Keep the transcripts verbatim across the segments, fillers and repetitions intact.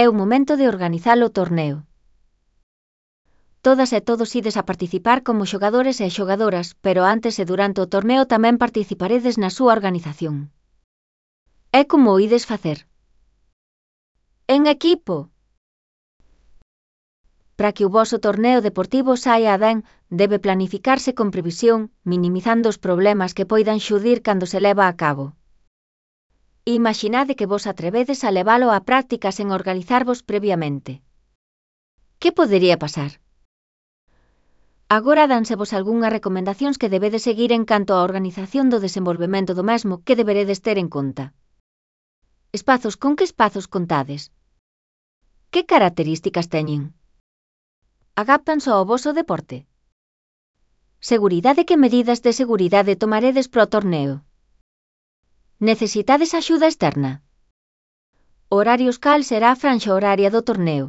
É o momento de organizar o torneo. Todas e todos ides a participar como xogadores e xogadoras, pero antes e durante o torneo tamén participaredes na súa organización. É como o ides facer. En equipo. Para que o voso torneo deportivo saia ben, debe planificarse con previsión, minimizando os problemas que poidan xurdir cando se leva a cabo. Imaxinade que vos atrevedes a levalo á práctica sen organizarvos previamente. Que podería pasar? Agora dánsevos algunhas recomendacións que debedes seguir en canto á organización do desenvolvemento do mesmo que deberedes ter en conta. Espazos. Con que espazos contades? Que características teñen? Adaptan só ao voso deporte? Seguridade. Que medidas de seguridade tomaredes pro torneo? Necesitades axuda externa? Horarios. Cal será a franxa horaria do torneo?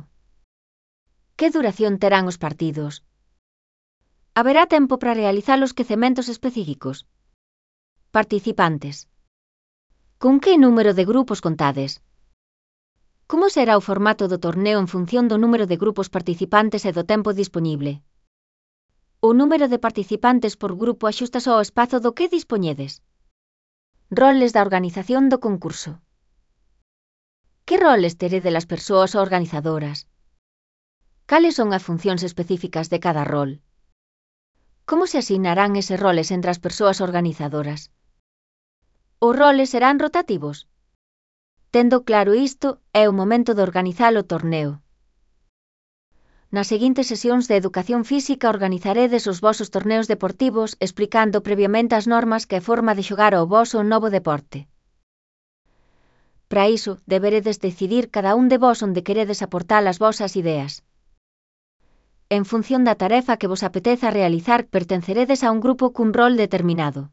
Que duración terán os partidos? Haberá tempo para realizar os quecementos específicos? Participantes. Con que número de grupos contades? Como será o formato do torneo en función do número de grupos participantes e do tempo disponible? O número de participantes por grupo axústase ao espazo do que dispoñedes. Roles da organización do concurso. Que roles teredes as persoas organizadoras? Cales son as funcións específicas de cada rol? Como se asignarán eses roles entre as persoas organizadoras? Os roles serán rotativos? Tendo claro isto, é o momento de organizar o torneo. Nas seguintes sesións de educación física organizaredes os vosos torneos deportivos explicando previamente as normas e forma de xogar ao voso novo deporte. Para iso, deberedes decidir cada un de vós onde queredes aportar as vosas ideas. En función da tarefa que vos apeteza realizar, pertenceredes a un grupo cun rol determinado.